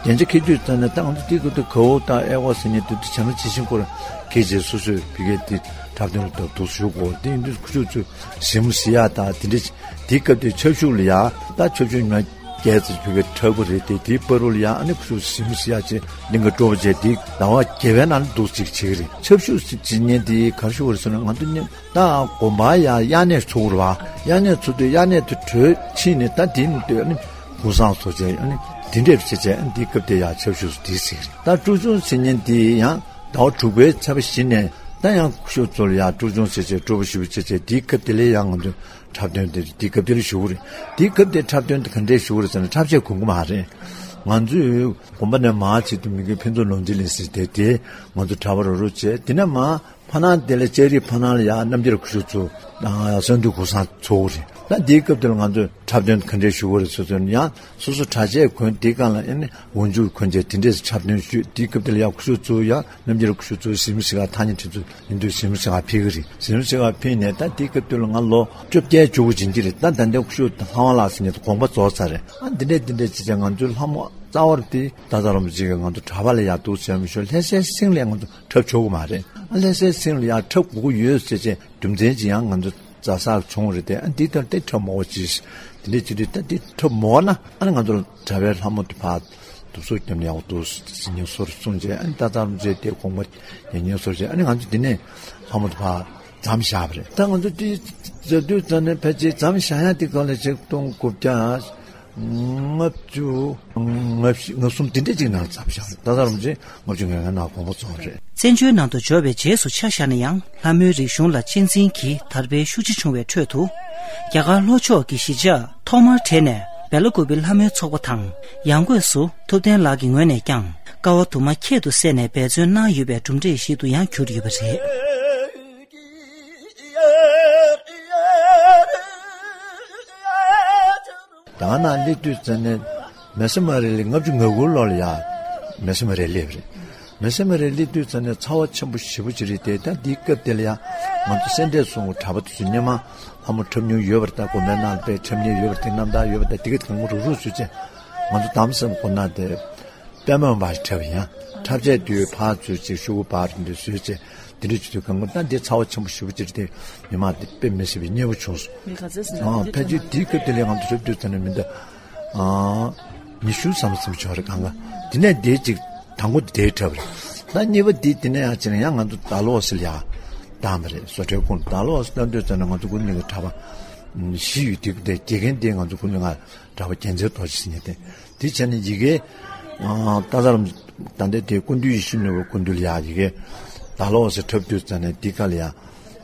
རྒྱན་ཆ་འཁྱེར་དུས་ཙམ་ནས་ད་ང་ཚོ་དེའི་སྐབས་དུ་གའུ་དང་ཨེ་ཝ་ཟེར་མཁན་དེ་ཚོ་བྱམས་པོ་ཇི་བཞིན་སྐོར་འཁྱེར་བྱས་སོ་སོས་བི་གའི་དེ་འཁྲབ་སྟོན་ལ་འདུག་ཞུ་དགོས་དེ་ཡིན་དུས་ཁུ་ཆུ་ཚོས་གཟིགས་མོ་གཟིགས་ཡག་དང་དེ་འདྲས་དེའི་སྐབས་དེ་ཆབ་ཞུགས་ལ་ཡ་ད་ཆབ་ཞུགས་ཉི་མ་བརྒྱད་ཙམ་ཕུལ་བའི་འཁྲབ་པ་རེད་དེ། དེའི་བར་དུ་ལ་ཡང་ཨ་ནི་ཁུ་ཆུ་གཟིགས་མོ་གཟིགས་ཡག་བྱས་གླིང་ག་སྤྲོ་པོ་བྱས་དེ་ཟླ་བ་བརྒྱད་པའི་ནང་ལ་འདུག་ཅིག་བྱེད་ཀྱི་རེད། ཆབ་ཞུགས་ཟེར་བྱེད་མཁན་དེ་ག་རེ་ཞུ་བ་རེད་ཟེར་ན་ང་ཚོ་ནི་ད་དགོན་པ་ཡ་དབྱར་གནས་ཚུགས་རེད་བ། དབྱར་གནས་ཚུགས་དུས་དབྱར་གནས་དེ་གྲོལ་ཕྱིན་ནས་ད་དེ་ནི་དེ་ཨ་ནི་གུང་སེང་ཚོགས་བྱས་ཨ་ནི་དེ་འདྲས་བྱས་བྱས་ཨ་ནི་དེའི་སྐབས་དེ་ཡ་ཆབ་ཞུགས་སུ་དེ་ཟེར་གྱི་རེད། ད་སྤྲོ་སྦྱོང་ཟེར་མཁན་དེ་ཡང་ཟླ་བ་དྲུག་པའི་ཚེས་པ་བཞི་ནས་ད་ཡང་ཁུ་ཆུ་ཚོ་ལ་ཡ་སྤྲོ་སྦྱོང་བྱས་བྱས་སྤྲོ་པོ་ཞེ་པོ་བྱས་བྱས་དེའི་སྐབས་དེ་ལ་ཡང་ང་ཚོ་འཁྲབ་སྟོན་དེ་དེའི་སྐབས་དེ་ལ་ཞུ་གི་རེད། དེའི་སྐབས་དེ་འཁྲབ་སྟོན་དེ་ག་འདྲས་ཞུ་གི་རེད་ཟེར་ན་འཁྲབ་ཆས་གོན་གི་མ་རེད། ང་ཚོས་དགོན་པ་ནས་མར་ཕྱིན་དུས་མི་དགེ་ཕུན་ཚོགས་ལུང་བསྟན་གླིང་ཟེར་དེ་དེ་ང་ཚོ་གྲྭ་པ་རོགས་རོགས་བྱས་དེ་ནས་མར་ཕ་ནང་དེ་ལ་ལྕགས་རིའི་ཕ་ནང་ལ་ཡ་རྣམ་རྒྱལ་ཁུ་ཆུ་ཚོ་གསང་འདུས་གུང་སེང་ཚོགས་གི་རེད། ད་འདིའི་སྐབས་དེ་ལ་ང་ཚོས་འཁྲབ་སྟོན་ག་འདྲས་ཞུ་དགོས་རེད་ཟེར་ཚོད་ཡང་སོ་སོ་གྲྭ་ཆས་གོན། དེའི་སྒང་ལ་ཨེ་ནི་འོག་འཇུག་གོན་བྱས་དེ་འདྲས་འཁྲབ་སྟོན་ཞུས། དེའི་སྐབས་དེ་ལ་ཡང་སྐུ་ཞབས་གཙོ་བོ་ཡང་རྣམ་རྒྱལ་སྐུ་ཞབས་གཙོ་བོ་གཟིགས་མོ་གཟིགས་ག་ཐག་ཉེ་ཁྲིད་ཚོ་ཡིན་དུས་གཟིགས་མོ་གཟིགས་ག་ཕེབས་ཀྱི་རེད། གཟིགས་མོ་གཟིགས་ག་ཕེབས་ནས་ད་དེའི་སྐབས་དེ་ལ་ང་ལོ་བཅོ་བརྒྱད་བཅུ་དགུ་ཕྱིན་གྱི་རེད། ད་ད་ལྟའི་སྐུ་ཞབས་ལྷ་དབང་ལགས་ཟེར་མཁན་དེ་དགོངས་པ་རྫོགས་ཚར་རེད། ཨ་འདི་འདྲས་འདི་འདྲས་བྱས་བྱས་ང་ཚོའི་ལྷ་མོ་རྩ་བ་རེད་དེ། ད་ད་རོམ་ཅིག་གིས་ང་ཚོ་གྲྭ་པ་ལ་ཡར་འདུག་ཟེར་མི་ཤོར། ལྷ་སའི་སེང་ལ་ང་ཚོ་འཁྲབ་ཆོག་གི་མ་རེད། ཨ་ལྷ་སའི་སེང་ལ་ཡར་འཁྲབ་དགོས་ཀྱི་ཡོད་ཟེར་བྱས་རྒྱུ་མཚན་ཅིག་ཡང་ང་ཚོ་རྩ་ས་བྱུང་རེད་དེ། ཨ་འདི་ལྟར་དེ་འཁྲབ་མོ་ཅིག་དེ་འདྲས་བྱེད་དུས་ད་འདི་འཁྲབ་མོ་ན་ཨ་ནི་ང་ཚོ་གྲྭ་པའི་ལྷ་མོ་དེ་ཕར་དུབ་སོ་བརྒྱབ་ནས་ཡག་པོ་འདུག་ཟེར་ཉན་སོར་གསུངས་བྱས། ཨ་ནི་ད་ད་རོམ་ཅིག་དེ་དགོངས་པ་ཉན་ཉན་སོར་བྱས། ཨ་ནི་ང་ཚོ་འདི་ནས་ལྷ་མོ་དེ་ཕར་མཚམས་བཞག་པ་རེད། ད་ང་ཚོ་དེ་མཛད་དུས་ཙམ་ནས་ཕལ་ཆེར་མཚམས་བཞག་ཡ་དེ་ག་ལ་ཆིག་སྟོང་དགུ་བརྒྱ་ལྔ་བཅུ་ང་བཞི་ང་གསུམ་དེ་འདྲས་ཅིག་ནང་ལ་མཚམས་བཞག་པ་རེད། ད་ད་རོམ་ཅིག་ལྔ་བཅུ་ང་ལྔ་ནང་དགོངས་པ་རྫོགས་པ་རེད། བཙན་བྱོལ་ནང་དུ་འབྱོར་བའི་རྗེས་སུ་ཆ་བཞག་ན་ཡང་ལྷ་མོའི་རིག་གཞུང་ལ་གཅེས་འཛིན་གྱི་དར་སྤེལ་ཤུགས་ཆེ་བྱུང་བའི་ཁྲོད་དུ། རྒྱ་གར་ལྷོ་ཕྱོགས་ཀྱི་གཞིས་ཆགས་ཐོག་མར་གྲས་ནས་སྦེ་ལ་ཀུ་པི་ལྷ་མོའི་ཚོགས་པ་དང་ཡང་སྒོས་སུ་ཐུབ་བསྟན་ལགས་ཀྱི་ངོས་ནས་ཀྱང་ཀ་བ་དུ་མ་ཁྱད་དུ་བསད་ནས་འབད་བརྩོན་གནང་ཡོད་པའི་གྲུབ་འབྲས་ཤིག་ཏུ་ཡང་གྱུར་ཡོད་པ་རེད། ད་ནང་སླེབས་དུས་ཙམ་ནས་མེ་སེ་མ་རེ་ལི་ལྔ་བཅུ་ང་དགུ་ལོ་ལ་ཡ་མེ་སེ་མ་རེ་སླེབས་རེད། མེ་སེ་མ་རེ་སླེབས་དུས་ཙམ་ནས་ཚ་བ་ཆེན་པོ་ཞེ་པོ་ཅིག་རེད་དེ། ད་འདིའི་སྐབས་དེ་ལ་ཡ་ང་ཚོ་སེ་འབྲས་སོང་གྲྭ་པ་དེ་ཚོ་སྔོན་མ་ལྷ་མོ་འཁྲབ་མྱོང་ཡོད་པ་རེད། ད་དགོན་པའི་ནང་ལ་དཔེ་འཁྲབ་མྱོང་ཡོད་པ་རེད་དེ། རྣམ་ཐར་ཡོད་པ་རེད་དེ། དེ་ག་དེ་གང་རུག་རུག་བཟོས་བྱས་ང་ཚོ་དམ་སེམས་ཁོ་ན་དེ། པད་མ་འབར་འཁྲབ་ཡང་འཁྲབ་ཆས་དུས་ཕར་ཚུར་ཅིག་ཤོག་གུ་འབར་འདི་བཟོས་བྱས་འདི་འདྲ་བྱེད་དུས་གང་ག་ད་འདི་ཚ་བ་ཆེན་པོ་ཞེ་པོ་ཅིག་རེད་དེ། མི་མང་འདི་དཔེ་མི་སྲིད་པའི་མཉེས་པོ་བྱུང་སོང་། མི་ག་ཚོད་ཟིན་ཨ་ན་ཕལ་ཆེར་འདི་དུས་དེ་ལས་ང་ཚོ་འཁྲབ་དུས་ད་ནི་མི་འདི་ཨ་ཉི་ཤུ་ཙམ་ཙམ་བྱུང་རེད། གང་ག་དེ་ནས་འདི་ཅིག་དང་པོ་འདི་འཁྲབ་རེད། ད་གཉིས་པ་འདི་དེ་ནས་ཡང་ཅིག་ཡང་ང་ཚོ་ད་ལོ་སི་ལ་ཡ་བཏང་བ་རེད། བཟོ་གྲྭའི་ཁོངས་ད་ལོ་སི་བཏང་དུས་ཙམ་ན་ང་ཚོ་ཀུན་གླིང་གི་གྲྭ་པ་བཞི་ཡོད། དེ་དེ་དགེ་རྒན་དེ་ང་ཚོ་ཀུན་གླིང་གྲྭ་པ་རྒྱལ་མཚན་རྡོ་རྗེ་ཟེར་མཁན་དེ། དེ་བྱས་ནས་ཡི་གེ་ཨ་ཏཱ་ཙ་རམ་ད་ལྟའི་དེ་ཀུན་འདུས་ཡིད་བཞིན་ནོར་བུ་སྐུ་མདུན་ལ་ཡ་ཡི་གེ་ད་ལོ་ཟེར་འཁྲབ་དུས་ཙམ་ནས་འདི་ག་ལ་ཡ་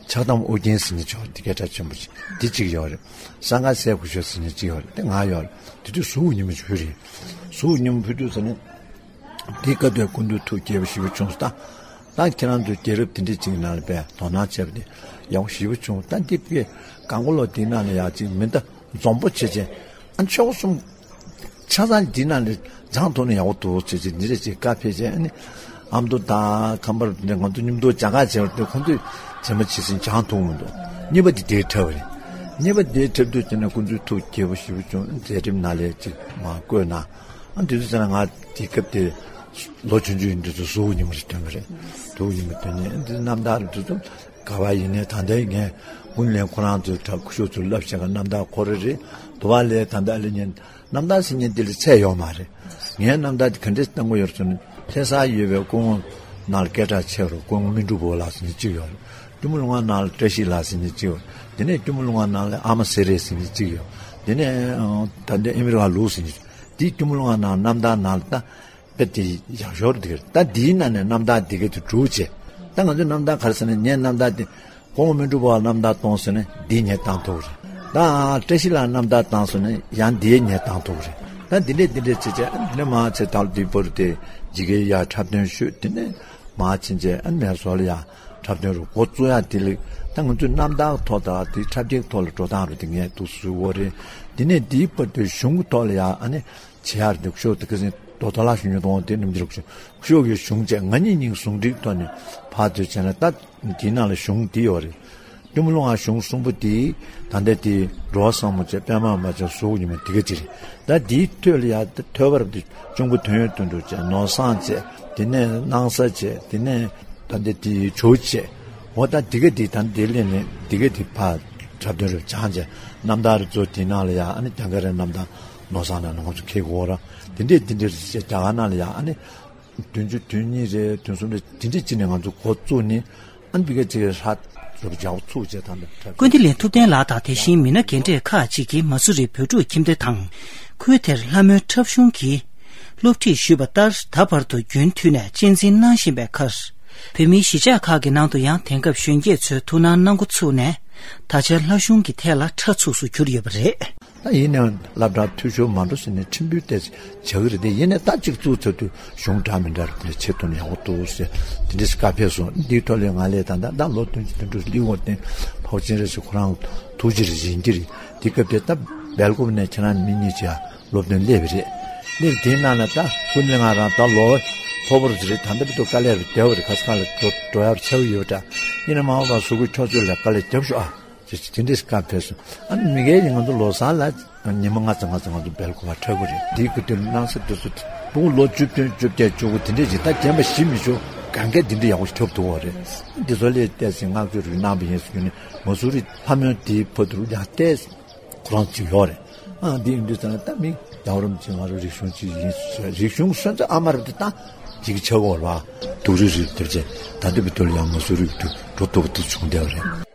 ཕྱག་དམ་ཨོ་རྒྱན་ཟེར་མཁན་ཅིག་ཡོད་རེད། དེ་སྐད་གྲགས་ཆེན་པོ་ཅིག་འདི་གཅིག་ཡོད་རེད། གསང་སྔགས་སྲས་སྐུ་ཞབས་ཟེར་མཁན་གཅིག་ཡོད་རེད། དེ་ང་ཡོད་རེད། དེ་དུས་གཟུགས་ཉིན་མོ་ཕུལ་རེད། གཟུགས་ཉིན་མོ་ཕུལ་དུས་ཙམ་ནས་འདི་སྐབས་དེ་སྐུ་མདུན་ཐུགས་དགྱེས་པ་ཞེ་པོ་བྱུང་སོང་། ད་ད་ཁྱེད་རང་ཚོའི་རྒྱལ་རབས་དེ་འདྲ་ཅིག་ནང་ལ་དཔེ་དོ་སྣང་བྱས་པ་དེ་ཡག་པོ་ཞེ་པོ་བྱུང་། ད་འདི་དཔེ་གང་གོ་ལོ་དེ་ནང་ལ་ཡག་ཅིག་མི་འདུག་འཛོམས་པོ་བྱེད་བྱེད་ཨ་ཆོག་གསུམ། ཆ་ཚང་འདི་ནང་ནས་སྦྱང་ཐུབ་ན་ཡག་པོ་འདུག་ཟེར་བྱས་འདི་འདྲ་ཅིག་བཀའ་ཕེབས་བྱས། ཨ་ནི་ཨ་མདོ་དང་ཁམས་པ་འདི་ང་ཚོ་མཉམ་དུ་སྦྱང་ག་བྱས་པ་དེ་ཁོང་ཚོས་རྗེས་མ་ཇི་སྲིད་སྦྱང་ཐུབ་མི་འདུག་གཉིས་པ་འདི་དེའི་འཁྲབ་པ་རེད། གཉིས་པ་དེའི་འཁྲབ་དུས་དེ་ནས་ཁོང་ཚོའི་ཐུགས་དགྱེས་པོ་ཞེ་པོ་བྱུང་། མཛད་རིམ་ནང་ལ་ཅིག་མར་བཀོད་གནང་། ཨ་དེ་དུས་ཙམ་ལ་ང་དེའི་སྐབས་དེ་ལོ་ཆུང་ཆུང་ཡིན་དུས་ཚོད་གཟུགས་ཉིན་མོ་རེ་སྟོན་པ་རེད། གཟུགས་ཉིན་མོ་སྟོན་ནས་འདི་རྣམ་ཐར་དེ་ཚོ་ག་བ་ཡིན་ནའི་ད་ལྟའི་ངས་ཀུན་གླེང་ཁོ་རང་ཚོའི་གྲྭ་སྐུ་ཞབས་ཚོ་བསླབ་བྱས་ག་རྣམ་ཐར་ཁོ་རང་རེད། དུ་བ་ལས་ད་ལྟ་ལས་ཉན་རྣམ་ཐར་ཟེར་མཁན་འདི་ལ་ཚད་ཡོད་མ་རེད། ངའི་རྣམ་ཐར་འདི་ག་འདྲས་བཏང་གི་ཡོད་ཟེར་ན་ལྷ་སར་ཡོད་པའི་སྐུ་ངོ་ནང་ལ་སྐད་གྲགས་ཆེ་རུ་སྐུ་ངོ་སྨིན་གྲུབ་བུ་ལགས་ཟེར་མཁན་གཅིག་ཡོད་རེད། སྐྱོར་མོ་ལུང་པ་ནང་ལ་བཀྲ་ཤིས་ལགས་ཟེར་མཁན་གཅིག་ཡོད་རེད། དེ་ནས་སྐྱོར་མོ་ལུང་པ་ནང་ལ་ཨ་མ་སེ་རེ་ཟེར་མཁན་གཅིག་ཡོད། དེ་ནས་ད་ལྟའི་ཨ་མི་རི་ཀ་ལུག་ཟེར་མཁན་གཅིག་དེའི་སྐྱོར་མོ་ལུང་པ་ནང་རྣམ་ཐར་ནང་ལ་ད། དཔེ་དེ་ཡག་ཤོས་རེད། ད་འདིའི་ནང་ནས་རྣམ་ཐར་འདི་ག་དེ་སྒྲུག་བྱས། ད་ང་ཚོའི་རྣམ་ཐར་ག་རེ་ཟེར་ན་ངའི་རྣམ་ཐར་དེ་སྐུ་ངོ་སྨིན་གྲུབ་བུ་ལགས་རྣམ་ཐར་གཏོང་ཟེར་ན་འདི་ངས་བཏང་ཐུབ་རེད། ད་བཀྲ་ཤིས་ལགས་རྣམ་ཐར་བཏང་ཟེར་ན་ཡང་འདི་ངས་བཏང་ཐུབ་རེད། ད་འདི་འདྲས་འདི་འདྲས་བྱས་བྱས་འདི་ནས་མར་ཚེ་ཐར་འདི་བར་དེ་ཇི་གའི་ཡ་འཁྲབ་སྟོན་ཞུས། དེ་ནས་མར་ཕྱིན་བྱས་ཨ་མེ་སོ་ལ་ཡ་འཁྲབ་སྟོན་རུ་འགོ་བཙུགས་ཡ་དེ་ལས་ད་ང་ཚོའི་རྣམ་ཐར་ཐོག་དང་དེ་འཁྲབ་སྟོན་ཐོག་ལ་འགྲོ་སྟངས་རུ་དེ་ངས་འདུག་བཟོས་ཡོད་རེད། དེ་ནས་འདིའི་བར་དུ་གཞུང་གི་ཐོག་ལ་ཡ་ཨ་ནི། བྱེད་ཡག་འདུག་ཤོག་དེ་ཁ་སང་རྡོ་ཐོ་ལ་ཞུ་ཉོ་གཏོང་དེ་རྣམ་འགྱུར་ཤོག་ཤོག་གི་གཞུང་བཅས་ང་གཉིས་གཉིས་ཟུང་འབྲེལ་ཐོག་ནས་ཕར་ཚུར་བྱས་ན་ད་དེའི་ནང་ལ་གཞུང་དེ་ཡོད་རེད། སྐྱོར་མོ་ལུང་པ་གཞུང་གསུམ་པོ་དེ་ད་ལྟ་དེ་འགྲོ་བ་བཟང་མོ་བཅས་པད་མ་མ་བཅས་གཟུགས་ཉི་མ་དེ་ག་ཅི་རེད། ད་དེའི་ཐོད་ལ་ཡ་ཐོད་པར་དེ་གཅུང་པོ་དོན་ཡོད་དོན་གྲུབ་བཅས་ནོར་བཟང་བཅས་དེ་ནས་སྣང་ས་བཅས་དེ་ནས་ད་ལྟ་དེ་ཇོ་བོ་བཅས། འོ་ད་འདི་ག་འདི་ད་འདི་ལས་ནས་འདི་ག་འདི་ཕར་འཁྲབ་སྟོན་རུ་སྦྱངས་བྱས་རྣམ་ཐར་རུ་ཚོ་དེ་ནང་ལ་ཡ་ཨ་ནི་དེང་ག་རེ་རྣམ་ཐར་ནོར་བཟང་ལ་ནང་ཚོ་ཁེ་གོ་ར་དེ་འདྲས་དེ་འདྲས་རེད་ཟེར་རྒྱ་གར་ནང་ལ་ཡ་ཨ་ནི་བདུན་ཅུ་དོན་གཉིས་རེད་དོན་གསུམ་རེད་དེ་འདྲས་ཅི་ནས་ང་ཚོ་འགོ་བཙུགས་ནས་ཨ་ནི་འདི་ག་ཅི་ཧྲ་རུ་རྒྱག་ཚུགས་བྱས་ད་འདི་འཁྲབ་ཀུན་བདེ་ལན་ཐུབ་བསྟན་ལགས་དང་དེ་བཞིན་མི་སྣ་རྒན་གྲས་ཁག་ཅིག་གིས་མ་སུ་རི་བོད་ཕྲུག་ཁྱིམ་སྡེ་དང་ཁུལ་དེར་ལྷ་མོའི་འཁྲབ་གཞུང་གི་སློབ་ཁྲིད་ཞུས་པ་ལྟར་ད་བར་དུ་རྒྱུན་མཐུད་ནས་གཅེས་འཛིན་གནང་བཞིན་པའི་ཁར། བོད་མིའི་གཞིས་ཆགས་ཁག་གི་ནང་དུ་ཡང་དེང་སྐབས་གཞོན་སྐྱེས་ཚོའི་ཐུགས་སྣང་གནང་འགོ་ཚུགས་ནས། ད་ཆ་ལྷ་གཞུང་གི་ཐད་ལ་ཁྲ་ཚུགས་སུ་གྱུར་ཡོད་པ་རེད། ད་ཡིན་ནའང་སློབ་གྲྭ་འཐུས་ཤོར་མ་འགྲོ་ཟེར་ནས་ཁྲིམས་དཔོན་ཏོག་ཙམ་བྱ་གི་རེད་དེ། ཡིན་ནའང་ད་གཅིག་བཙུགས་ཚར་དུས་གཞུང་འདྲ་མི་འདྲ་རེད་དེ་ཆེད་དོན་ཡག་པོ་འདུག་ཟེར་དེ་འདྲ་ཞིག་བཀའ་ཕེབས་སོང་། འདིའི་ཐོག་ལ་ང་ལས་ད་ད་ད་ལོ་བདུན་ཅུ་དོན་དྲུག་སླེབས་འོང་སྟེ་ཕོ་ཆེན་རེ་ཞིག་ཁོ་རང་ཐུགས་རྗེ་རེ་ཡིན་གྱི་རེད། དེ་སྐབས་དེ་ད་སྦེལ་ཀོབ་ནས་ཁྱེད་རང་མི་གཉིས་ཀྱིས་སློབ་སྟོན་སླེབས་པ་རེད། སླེབས་དེའི་ནང་ལ་ད་སྐུ་ཉིད་ང་རང་ད་ལོ་མཐོ་པོ་རེད། ད་ལྟ་བར་དུ་དཀའ་ལས་རེ་བསྡད་པ་རེད། ཁ་སང་ལ་འགྲོ་འགྲོ་ཡག་ཆགས་ཡོད་འདྲ། ཡིན་ན་མ་འོངས་པ་གཟུགས་པོ་འཁྱོག་བརྗོད་ལ་དཀའ་ལས་རྒྱབ་ཤོག་ཨ། ཅེས་དེ་འདྲས་བཀའ་ཕེབས་སོང་། ཨ་ནི་མི་སྒེར་ཡིན་ང་ཚོ་ལོ་གསར་ལ་ཉི་མ་ལྔ་ཙམ་ལྔ་ཙམ་ང་ཚོ་སྦེལ་ཀོབ་ལ་འཁྲབ་གི་རེད། དེའི་སྐབས་དེར་སྣང་ས་དེ་ཚོ་ཕྲུ་གུ་ལོ་བཅུ་བདུན་བཅོ་བརྒྱད་བཅུ་དགུ་དེ་འདྲས་ཅིག་ད་རྒན་པ་ཞིག་མི་ཆོག་གང་གས་དེ་འདྲས་ཡག་པོ་ཞིག་འཁྲབ་ཐུབ་པ་རེད། འདི་ཚོ་ལས་བལྟས་ཚེ་བསྔགས་བརྗོད་རེ་གནང་བ་ཡིན་ཟེར་ནས་མ་སུ་རི་ལྷ་མོན་དེའི་བར་དུ་ཡང་བལྟས། ཁོ་རང་ཅིག་ཡོད་རེད། ཨ་འདི་ཡིན་དུས་ཙང་ད་མི་རྒྱལ་བ་རིན་པོ་ཆེ་ང་རང་རིག་གཞུང་ཅིག་ཡིན་ཟེར། རིག་གཞུང་སོན་རྩ་ཨ་མ་རེད་དེ་ད་ཅིག་ཆགས་འོར་བ་སྡུག་རུས་རེད་དེ་བྱས། ད་ལྟ་བའི་དུས་ལ་ཡང་མ་སུ་རི་དུ་འགྲོ་ཐུབ་ཐུབ་བྱུང་བསྡད་པ་རེད།